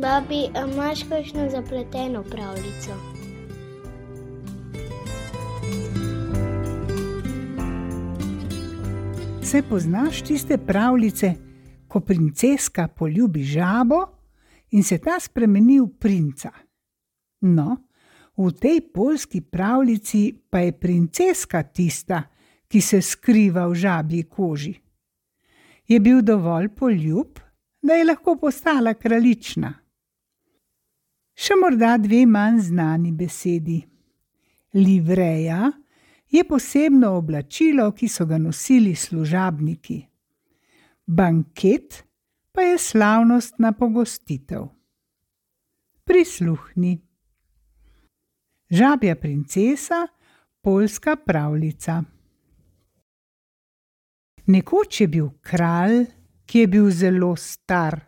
Babi, a imaš kakšno zapleteno pravljico? Se poznaš tiste pravljice, ko princeska poljubi žabo in se ta spremeni v princa? No, v tej poljski pravljici pa je princeska tista, ki se skriva v žabji koži. Je bil dovolj poljub, da je lahko postala kraljična. Še morda dve manj znani besedi. Livreja je posebno oblačilo, ki so ga nosili služabniki. Banket pa je slavnostna pogostitev. Prisluhni. Žabja princesa, poljska pravljica. Nekoč je bil kralj, ki je bil zelo star.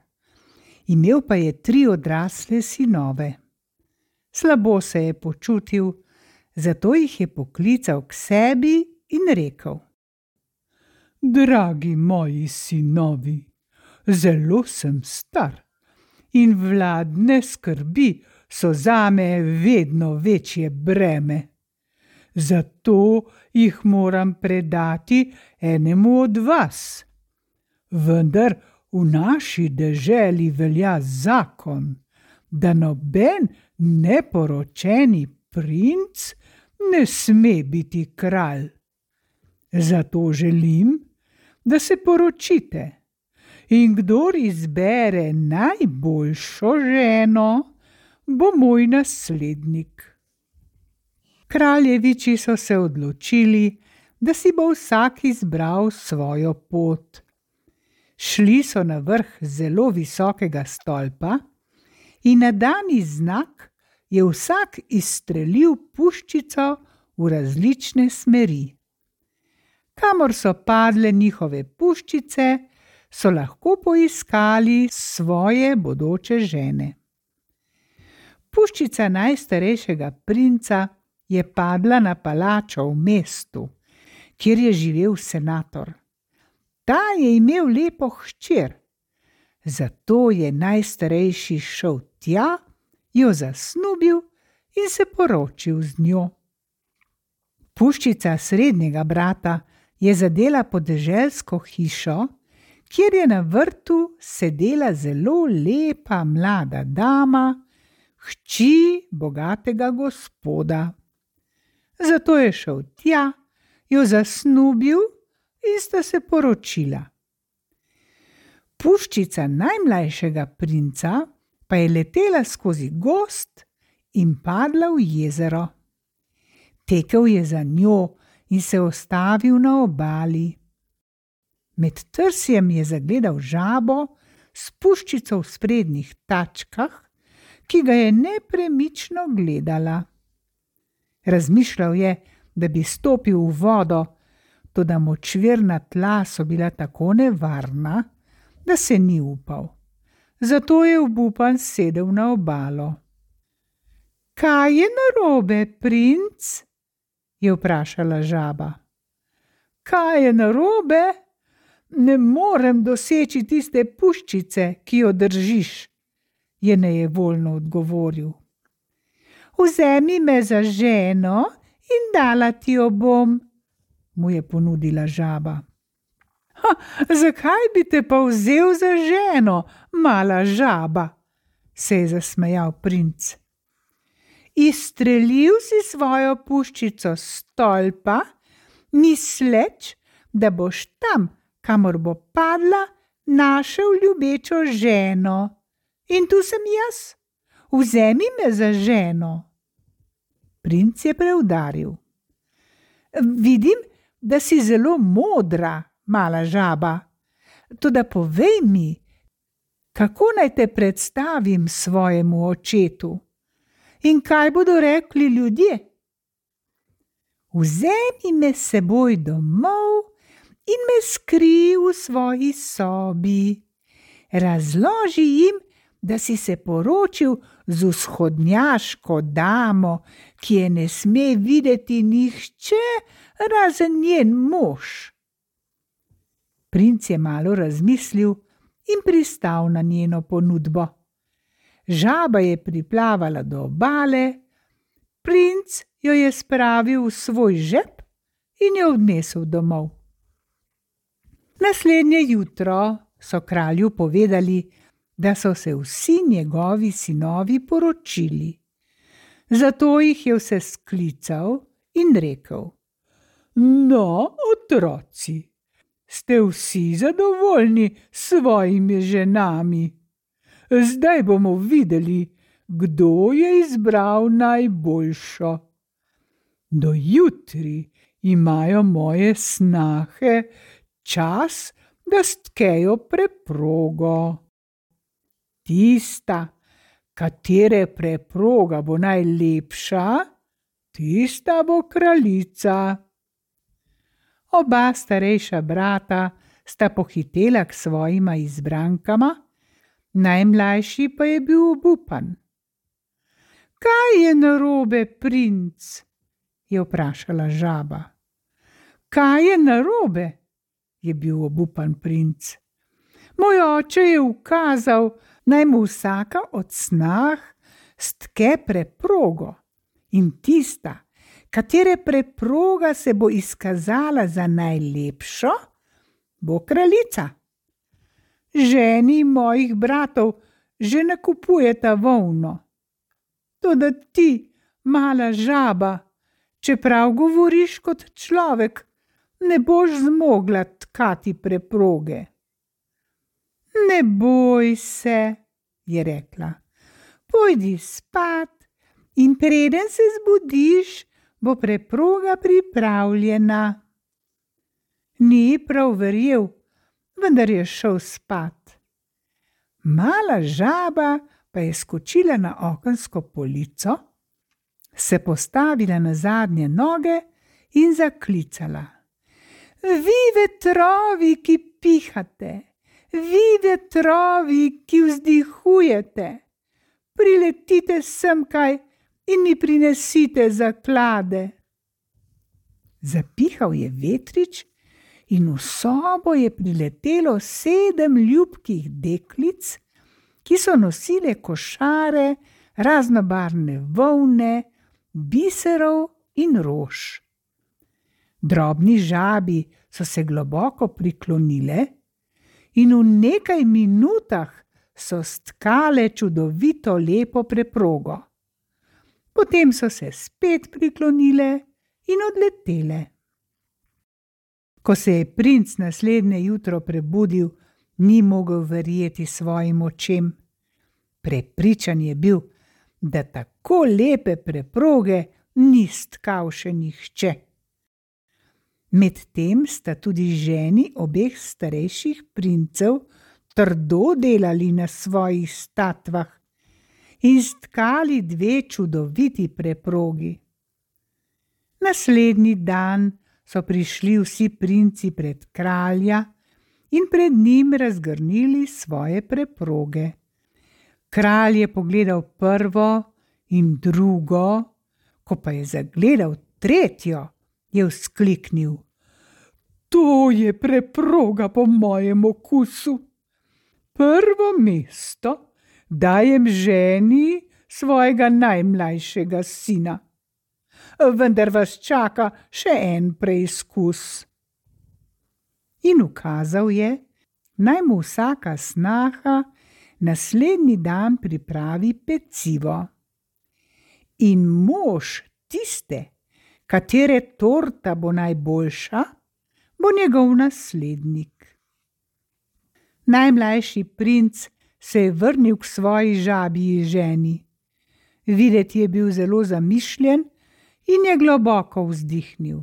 Imel pa je 3 odrasle sinove. Slabo se je počutil, zato jih je poklical k sebi in rekel: Dragi moji sinovi, zelo sem star in vladne skrbi so zame vedno večje breme. Zato jih moram predati enemu od vas. Vendar v naši deželi velja zakon, da noben neporočeni princ ne sme biti kralj. Zato želim, da se poročite in kdor izbere najboljšo ženo, bo moj naslednik. Kraljeviči so se odločili, da si bo vsak izbral svojo pot. Šli so na vrh zelo visokega stolpa in na dani znak je vsak izstrelil puščico v različne smeri. Kamor so padle njihove puščice, so lahko poiskali svoje bodoče žene. Puščica najstarejšega princa je padla na palačo v mestu, kjer je živel senator. Ta je imel lepo hčer, zato je najstarejši šel tja, jo zasnubil in se poročil z njo. Puščica srednjega brata je zadela podeželsko hišo, kjer je na vrtu sedela zelo lepa mlada dama, hči bogatega gospoda. Zato je šel tja, jo zasnubil in sta se poročila. Puščica najmlajšega princa pa je letela skozi gozd in padla v jezero. Tekel je za njo in se ustavil na obali. Med trsjem je zagledal žabo s puščico v sprednjih tačkah, ki ga je nepremično gledala. Razmišljal je, da bi stopil v vodo, toda močvirna tla so bila tako nevarna, da se ni upal. Zato je obupan sedel na obalo. Kaj je narobe, princ? Je vprašala žaba. Kaj je narobe? Ne morem doseči tiste puščice, ki jo držiš, je nejevoljno odgovoril. Vzemi me za ženo in dala ti jo bom, mu je ponudila žaba. Zakaj bi te pa vzel za ženo, mala žaba? Se je zasmejal princ. Izstrelil si svojo puščico s stolpa, misleč, da boš tam, kamor bo padla, našel ljubečo ženo. In tu sem jaz. Vzemi me za ženo. Princ je preudaril. Vidim, da si zelo modra, mala žaba. Toda povej mi, kako naj te predstavim svojemu očetu? In kaj bodo rekli ljudje? Vzemi me s seboj domov in me skrij v svoji sobi. Razloži jim, da si se poročil z vzhodnjaško damo, ki je ne sme videti nihče razen njen mož. Princ je malo razmislil in pristal na njeno ponudbo. Žaba je priplavala do obale, princ jo je spravil v svoj žep in jo odnesel domov. Naslednje jutro so kralju povedali, da so se vsi njegovi sinovi poročili. Zato jih je vse sklical in rekel: No, otroci, ste vsi zadovoljni s svojimi ženami? Zdaj bomo videli, kdo je izbral najboljšo. Do jutri imajo moje snahe čas, da stkejo preprogo. Tista, katere preproga bo najlepša, tista bo kraljica. Oba starejša brata sta pohitela k svojima izbrankama, najmlajši pa je bil obupan. Kaj je narobe, princ? Je vprašala žaba. Kaj je narobe? Je bil obupan princ. Moj oče je ukazal, naj mu vsaka od snah stke preprogo, in tista, katere preproga se bo izkazala za najlepšo, bo kraljica. Ženi mojih bratov že nakupujeta volno. Toda ti, mala žaba, čeprav govoriš kot človek, ne boš zmogla tkati preproge. Ne boj se, je rekla, pojdi spat in preden se zbudiš, bo preproga pripravljena. Ni prav verjel, vendar je šel spat. Mala žaba pa je skočila na okensko polico, se postavila na zadnje noge in zaklicala: Vi vetrovi, ki pihate! Vi vetrovi, ki vzdihujete, priletite semkaj in mi prinesite zaklade. Zapihal je vetrič in v sobo je priletelo 7 ljubkih deklic, ki so nosile košare, raznobarvne volne, biserov in rož. Drobni žabi so se globoko priklonile in v nekaj minutah so stkale čudovito lepo preprogo. Potem so se spet priklonile in odletele. Ko se je princ naslednje jutro prebudil, ni mogel verjeti svojim očem. Prepričan je bil, da tako lepe preproge ni stkal še nihče. Medtem sta tudi ženi obeh starejših princev trdo delali na svojih statvah in stkali 2 čudoviti preprogi. Naslednji dan so prišli vsi princi pred kralja in pred njim razgrnili svoje preproge. Kralj je pogledal prvo in drugo, ko pa je zagledal tretjo, je vzkliknil: To je preproga po mojem okusu. Prvo mesto dajem ženi svojega najmlajšega sina. Vendar vas čaka še en preizkus. In ukazal je, naj mu vsaka snaha naslednji dan pripravi pecivo. In mož tiste, katere torta bo najboljša, bo njegov naslednik. Najmlajši princ se je vrnil k svoji žabji ženi. Videti je bil zelo zamišljen in je globoko vzdihnil.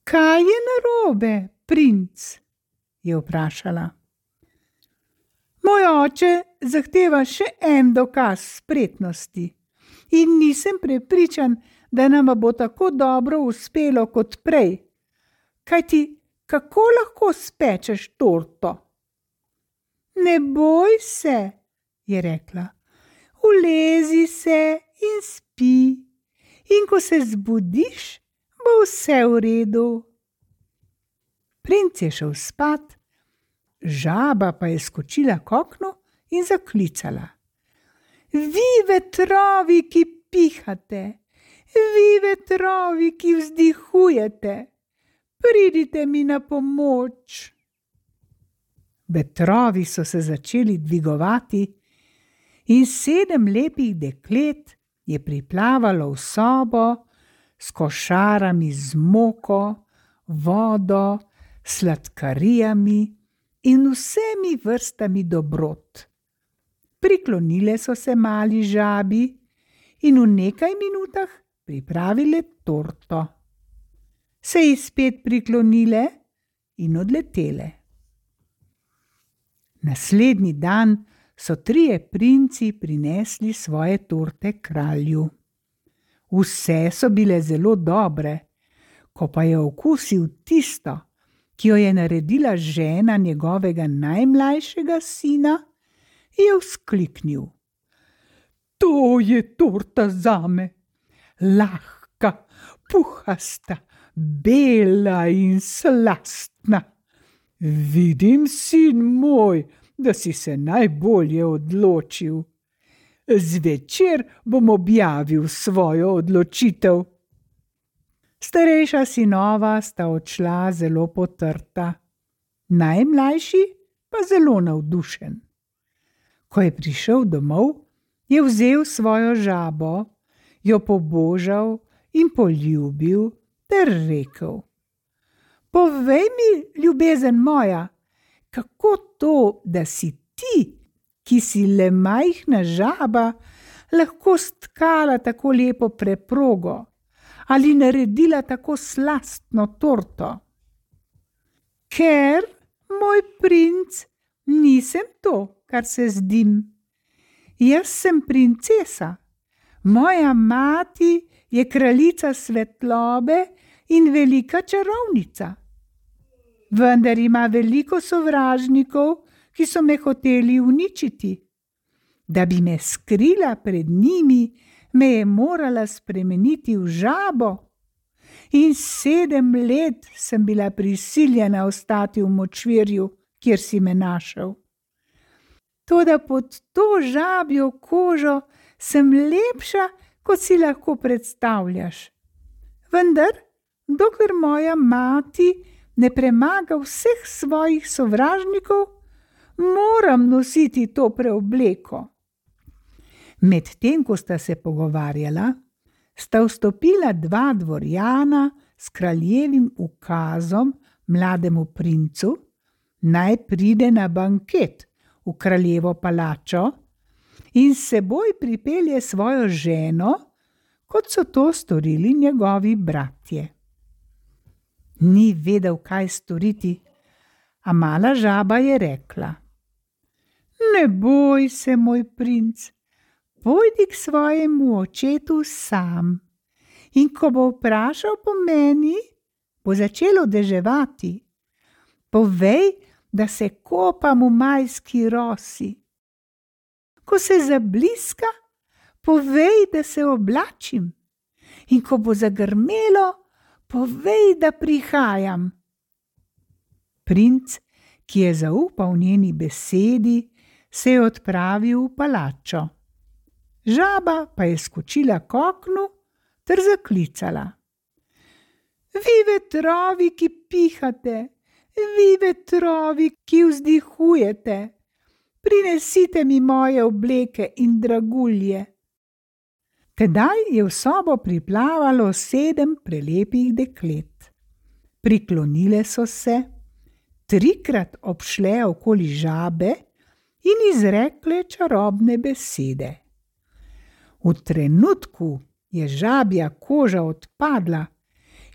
Kaj je narobe, princ? Je vprašala. Moj oče zahteva še en dokaz spretnosti in nisem prepričan, da nama bo tako dobro uspelo kot prej. Kajti, kako lahko spečeš torto? Ne boj se, je rekla, ulezi se in spi, in ko se zbudiš, bo vse v redu. Princ je šel spat, žaba pa je skočila k oknu in zaklicala. Vi vetrovi, ki pihate, vi vetrovi, ki vzdihujete, pridite mi na pomoč. Vetrovi so se začeli dvigovati in 7 lepih deklet je priplavalo v sobo s košarami z moko, vodo, sladkarijami in vsemi vrstami dobrot. Priklonile so se mali žabi in v nekaj minutah pripravile torto. Se ji spet priklonile in odletele. Naslednji dan so 3 princi prinesli svoje torte kralju. Vse so bile zelo dobre, ko pa je okusil tisto, ki jo je naredila žena njegovega najmlajšega sina, je vzkliknil: To je torta zame, lahka, puhasta, bela in slastna. Vidim, sin moj, da si se najbolje odločil. Zvečer bom objavil svojo odločitev. Starejša sinova sta odšla zelo potrta, najmlajši pa zelo navdušen. Ko je prišel domov, je vzel svojo žabo, jo pobožal in poljubil ter rekel: Povej mi, ljubezen moja, kako to, da si ti, ki si le majhna žaba, lahko stkala tako lepo preprogo ali naredila tako slastno torto? Ker, moj princ, nisem to, kar se zdim. Jaz sem princesa, moja mati je kraljica svetlobe in velika čarovnica. Vendar ima veliko sovražnikov, ki so me hoteli uničiti. Da bi me skrila pred njimi, me je morala spremeniti v žabo. In 7 let sem bila prisiljena ostati v močvirju, kjer si me našel. Toda pod to žabjo kožo sem lepša, kot si lahko predstavljaš. Vendar, dokler moja mati ne premaga vseh svojih sovražnikov, moram nositi to preobleko. Medtem ko sta se pogovarjala, sta vstopila 2 dvorjana s kraljevim ukazom mlademu princu, naj pride na banket v kraljevo palačo in s seboj pripelje svojo ženo, kot so to storili njegovi bratje. Ni vedel, kaj storiti, a mala žaba je rekla: Ne boj se, moj princ, pojdi k svojemu očetu sam in ko bo vprašal po meni, bo začelo deževati. Povej, da se kopam v majski rosi. Ko se zabliska, povej, da se oblačim, in ko bo zagrmelo, povej, da prihajam. Princ, ki je zaupal njeni besedi, se je odpravil v palačo. Žaba pa je skočila k oknu ter zaklicala: Vi vetrovi, ki pihate, vi vetrovi, ki vzdihujete, prinesite mi moje obleke in dragulje. Tedaj je v sobo priplavalo 7 prelepih deklet. Priklonile so se, 3-krat obšle okoli žabe in izrekle čarobne besede. V trenutku je žabja koža odpadla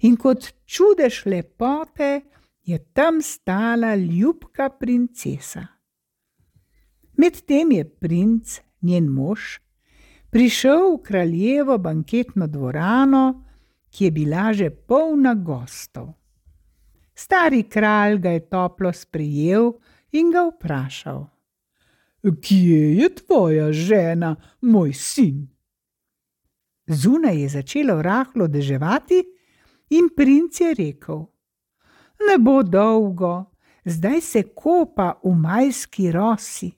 in kot čudež lepote je tam stala ljubka princesa. Medtem je princ, njen mož, prišel v kraljevo banketno dvorano, ki je bila že polna gostov. Stari kralj ga je toplo sprejel in ga vprašal: Kje je tvoja žena, moj sin? Zunaj je začelo rahlo deževati in princ je rekel: Ne bo dolgo, zdaj se kopa v majski rosi.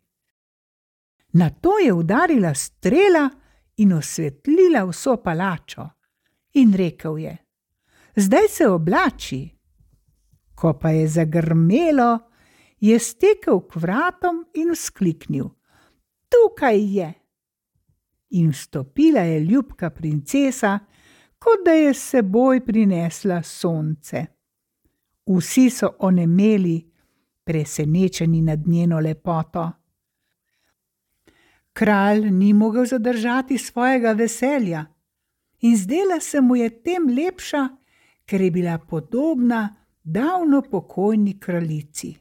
Nato je udarila strela in osvetlila vso palačo. In rekel je: zdaj se oblači. Ko pa je zagrmelo, je stekel k vratom in vzkliknil: tukaj je! In vstopila je ljubka princesa, kot da je s seboj prinesla sonce. Vsi so onemeli, presenečeni nad njeno lepoto. Kralj ni mogel zadržati svojega veselja in zdela se mu je tem lepša, ker je bila podobna davno pokojni kraljici.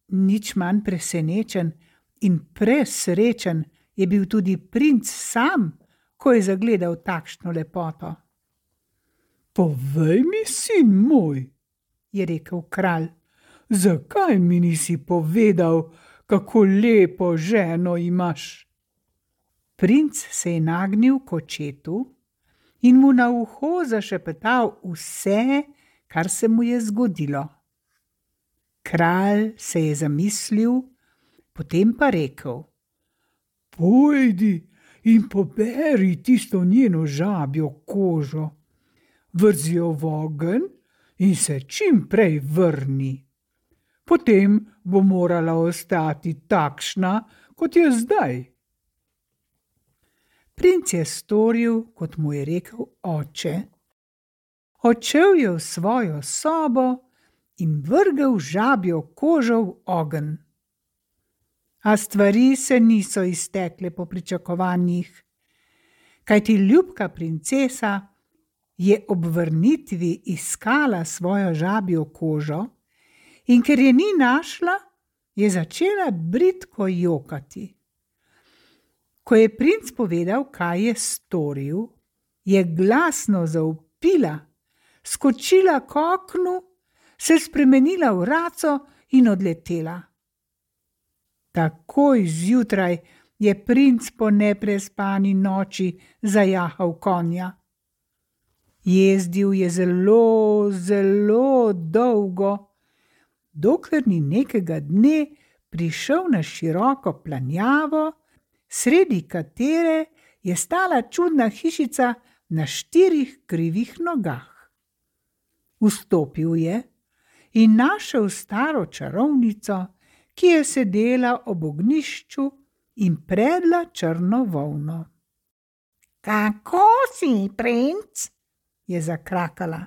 Nič manj presenečen in presrečen je bil tudi princ sam, ko je zagledal takšno lepoto. Povej mi, sin moj, je rekel kralj, zakaj mi nisi povedal, kako lepo ženo imaš? Princ se je nagnil k očetu in mu na uho zašepetal vse, kar se mu je zgodilo. Kralj se je zamislil, potem pa rekel: pojdi in poberi tisto njeno žabjo kožo, vrzi jo v ogenj in se čim prej vrni. Potem bo morala ostati takšna, kot je zdaj. Princ je storil, kot mu je rekel oče. Odšel je v svojo sobo in vrgel žabjo kožo v ogenj. A stvari se niso iztekle po pričakovanjih, kajti ljubka princesa je ob vrnitvi iskala svojo žabjo kožo in ker je ni našla, je začela bridko jokati. Ko je princ povedal, kaj je storil, je glasno zavpila, skočila k oknu, se spremenila v raco in odletela. Takoj zjutraj je princ po neprespani noči zajahal konja. Jezdil je zelo, zelo dolgo, dokler ni nekega dne prišel na široko planjavo, sredi katere je stala čudna hišica na 4 krivih nogah. Vstopil je in našel staro čarovnico, ki je sedela ob ognjišču in predla črno volno. Kako si, princ? Je zakrakala.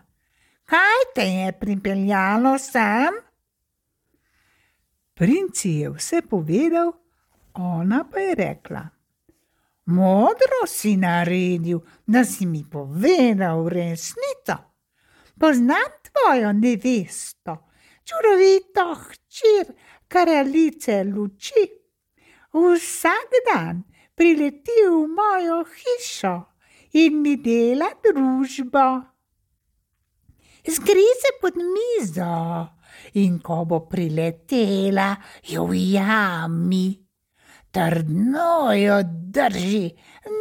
Kaj te je pripeljalo sem? Princ je vse povedal, ona pa je rekla: modro si naredil, da si mi povedal resnico. Poznam tvojo nevesto, čudovito hčer kraljice luči. Vsak dan prileti v mojo hišo in mi dela družbo. Skri se pod mizo in ko bo priletela, jo ujami. Trdno jo drži,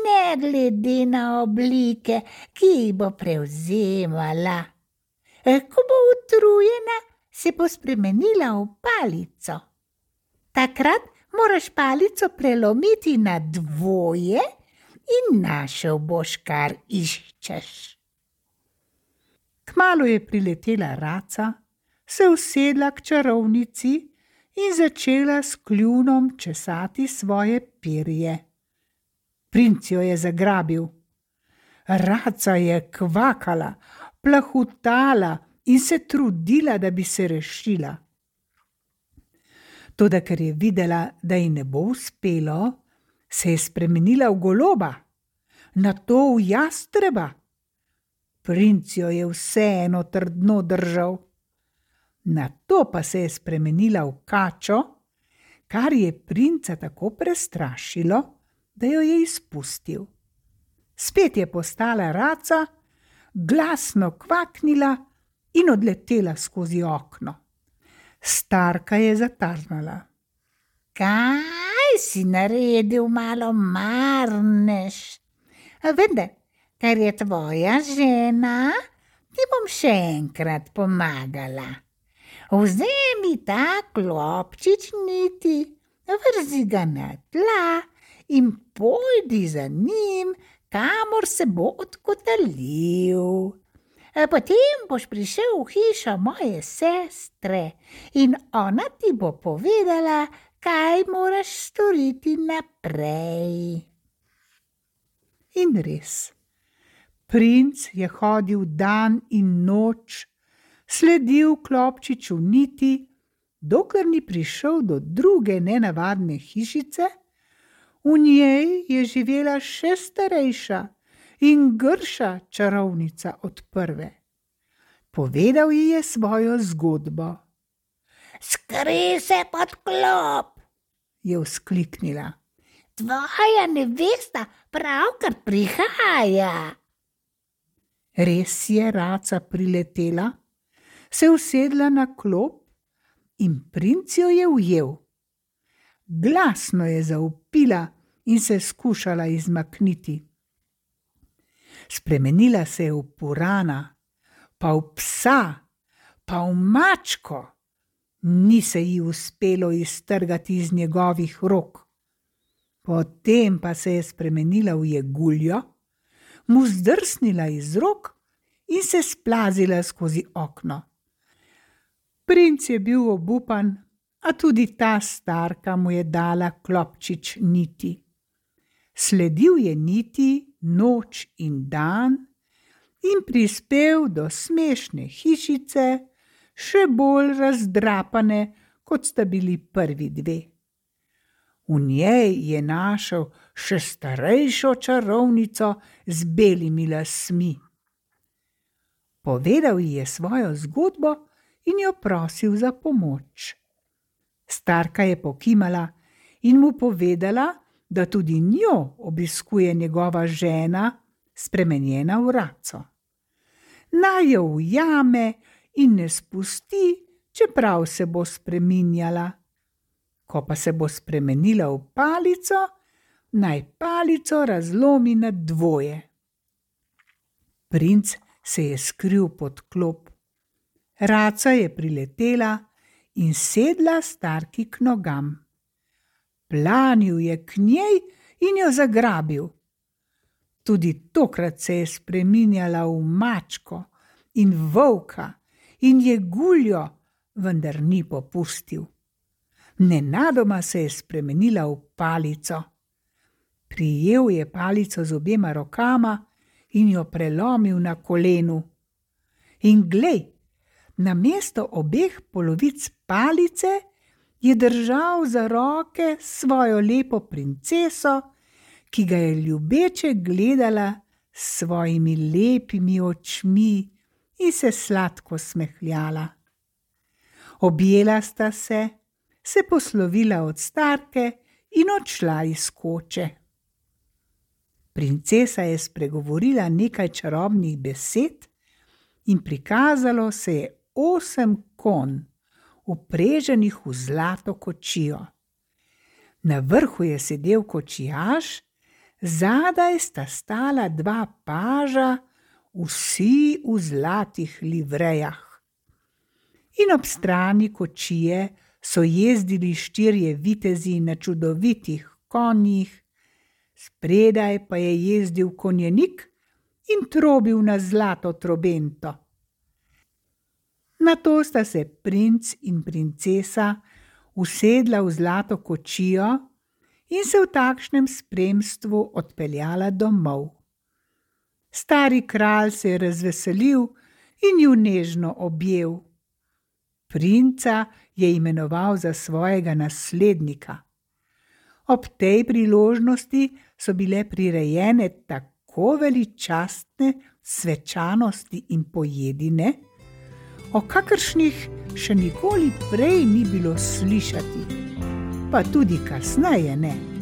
ne glede na oblike, ki jih bo prevzemala. Ko bo utrujena, se bo spremenila v palico. Takrat moraš palico prelomiti na dvoje in našel boš, kar iščeš. Kmalu je priletela raca, se usedla k čarovnici in začela s kljunom česati svoje perje. Princ jo je zagrabil. Raca je kvakala, plahutala in se trudila, da bi se rešila. Toda ker je videla, da ji ne bo uspelo, se je spremenila v goloba, nato v jastreba. Princ jo je vseeno trdno držal. Nato pa se je spremenila v kačo, kar je princa tako prestrašilo, da jo je izpustil. Spet je postala raca, glasno kvaknila in odletela skozi okno. Starka je zatarnala. Kaj si naredil, malo marneš? Vendar, ker je tvoja žena, ti bom še enkrat pomagala. Vzemi ta klopčič niti vrzi ga na tla in pojdi za njim, kamor se bo odkotalil. Potem boš prišel v hišo moje sestre in ona ti bo povedala, kaj moraš storiti naprej. In res, princ je hodil dan in noč, sledil klopčiču niti, dokler ni prišel do druge nenavadne hišice. V njej je živela še starejša in grša čarovnica od prve. Povedal ji je svojo zgodbo. Skrij se pod klop, je vzkliknila. Tvoja nevesta pravkar prihaja. Res je raca priletela, se usedla na klop in princ jo je ujel. Glasno je zavpila in se skušala izmakniti. Spremenila se je v purana, pa v psa, pa v mačko. Ni se ji uspelo iztrgati iz njegovih rok. Potem pa se je spremenila v jeguljo, mu zdrsnila iz rok in se splazila skozi okno. Princ je bil obupan, a tudi ta starka mu je dala klopčič niti. Sledil je niti noč in dan in prispel do smešne hišice, še bolj razdrapane, kot sta bili prvi dve. V njej je našel še starejšo čarovnico z belimi lasmi. Povedal ji je svojo zgodbo in jo prosil za pomoč. Starka je pokimala in mu povedala, da tudi njo obiskuje njegova žena, spremenjena v raco. Naj jo ujame in ne spusti, čeprav se bo spreminjala. Ko pa se bo spremenila v palico, naj palico razlomi na dvoje. Princ se je skril pod klop. Raca je priletela in sedla starki k nogam. Planil je k njej in jo zagrabil. Tudi tokrat se je spreminjala v mačko in volka in jeguljo, vendar ni popustil. Nenadoma se je spremenila v palico. Prijel je palico z obema rokama in jo prelomil na kolenu. In glej, namesto obeh polovic palice je držal za roke svojo lepo princeso, ki ga je ljubeče gledala s svojimi lepimi očmi in se sladko smehljala. Objela sta se poslovila od starke in odšla iz koče. Princesa je spregovorila nekaj čarobnih besed in prikazalo se je 8 konj, upreženih v zlato kočijo. Na vrhu je sedel kočijaž, zadaj sta stala 2 paža, vsi v zlatih livrejah. In ob strani kočije so jezdili 4 vitezi na čudovitih konjih, spredaj pa je jezdil konjenik in trobil na zlato trobento. Nato sta se princ in princesa usedla v zlato kočijo in se v takšnem spremstvu odpeljala domov. Stari kralj se je razveselil in ju nežno objel. Princa je imenoval za svojega naslednika. Ob tej priložnosti so bile prirejene tako veličastne svečanosti in pojedine, o kakršnih še nikoli prej ni bilo slišati, pa tudi kasneje ne.